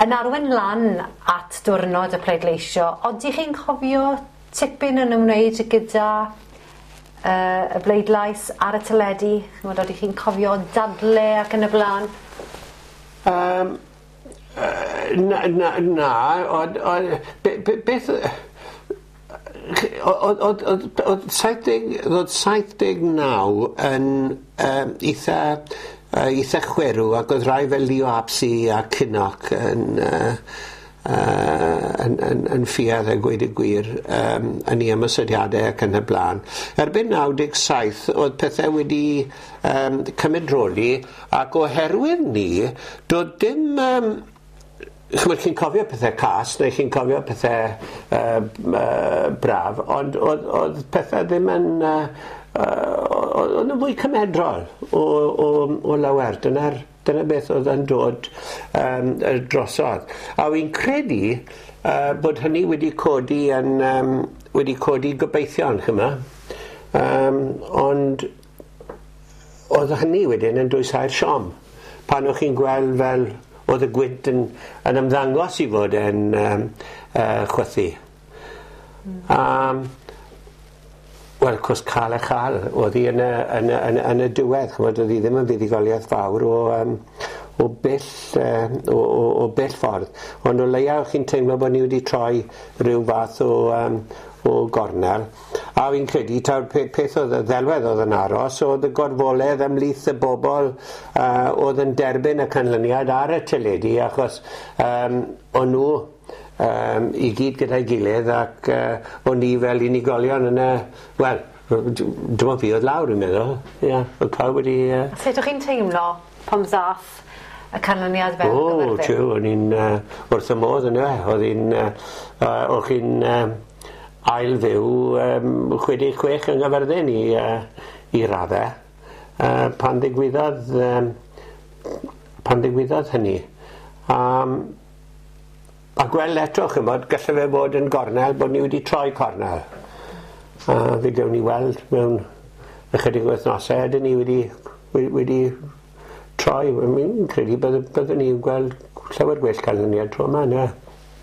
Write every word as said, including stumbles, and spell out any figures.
Yn arwain lan at diwrnod y pleidleisio, odych chi'n cofio tipyn yn ymwneud gyda uh, y bleidlais ar y teledu? Ch'mod, odych chi'n cofio dadle ac yn y blaen? Um, na, na, na, ond, ond, be, be, beth... Oedd oedd saith deg, oedd saith deg naw yn um, eitha, uh, eitha chwerw, ac oedd rhai fel Leo Abse a Kinnock yn, uh, uh, yn, yn, yn ffiaidd a gweud y gwir um, yn ei ymosodiadau ac yn y blaen. Erbyn naw deg saith oedd pethau wedi um, cymedroli, ac oherwydd ni, doedd dim... Um, Ch'mod, chi'n cofio pethau cas, neu chi'n cofio pethau uh, uh, braf, ond oedd, oedd pethau ddim yn... Uh, uh, oedd yn fwy cymedrol o, o, o lawer. Dyna'r, dyna beth oedd yn dod um, drosodd. A wy'n credu uh, bod hynny wedi codi yn, um, wedi codi gobeithion, ch'mo'. Um, ond oedd hynny wedyn yn dwysau'r siom. Pan o'ch chi'n gweld fel oedd y gwynt yn, yn ymddangos i fod yn um, uh, chwythu. Mm. Um, Wel, cwrs cael a chael, oedd hi yn y, yn y, yn y, yn y diwedd, ch'mod, oedd hi ddim yn fuddugoliaeth fawr o, um, o bell, uh, o, o, o bell ffordd. Ond o leia o'ch chi'n teimlo bod ni wedi troi rhyw fath o, um, o gornel. A fi'n credu taw'r pe-, peth oedd y ddelwedd oedd yn aros, oedd y gorfoledd ymhlith y bobl uh, oedd yn derbyn y canlyniad ar y teledu, achos um, o'n nhw um, i gyd gyda'i gilydd, ac uh, o'n ni fel unigolion yn y... Wel, dim ond fi oedd lawr, dwi'n meddwl. Ie, oedd pawb wedi... Uh... Sut o'ch chi'n teimlo pan ddath y canlyniad fel O, Gaerfyrddin? Tiw, o'n i'n uh, wrth y modd yn e. Oedd hi'n... Uh, uh, o'ch chi'n uh, ail fyw um, chwe deg chwech yng Nghaerfyrddin i, uh, i raddau. Uh, pan ddigwyddodd, um, pan ddigwyddodd hynny. Um, a gweld eto, ch'mod, gallai fe fod yn gornel, bod ni wedi troi cornel. A fe gewn ni weld mewn ychydig o wythnosau, ydyn ni wedi, wedi, wedi troi. Fi'n credu bydde, byddwn ni'n gweld llawer gwell canlyniad tro yma, ne?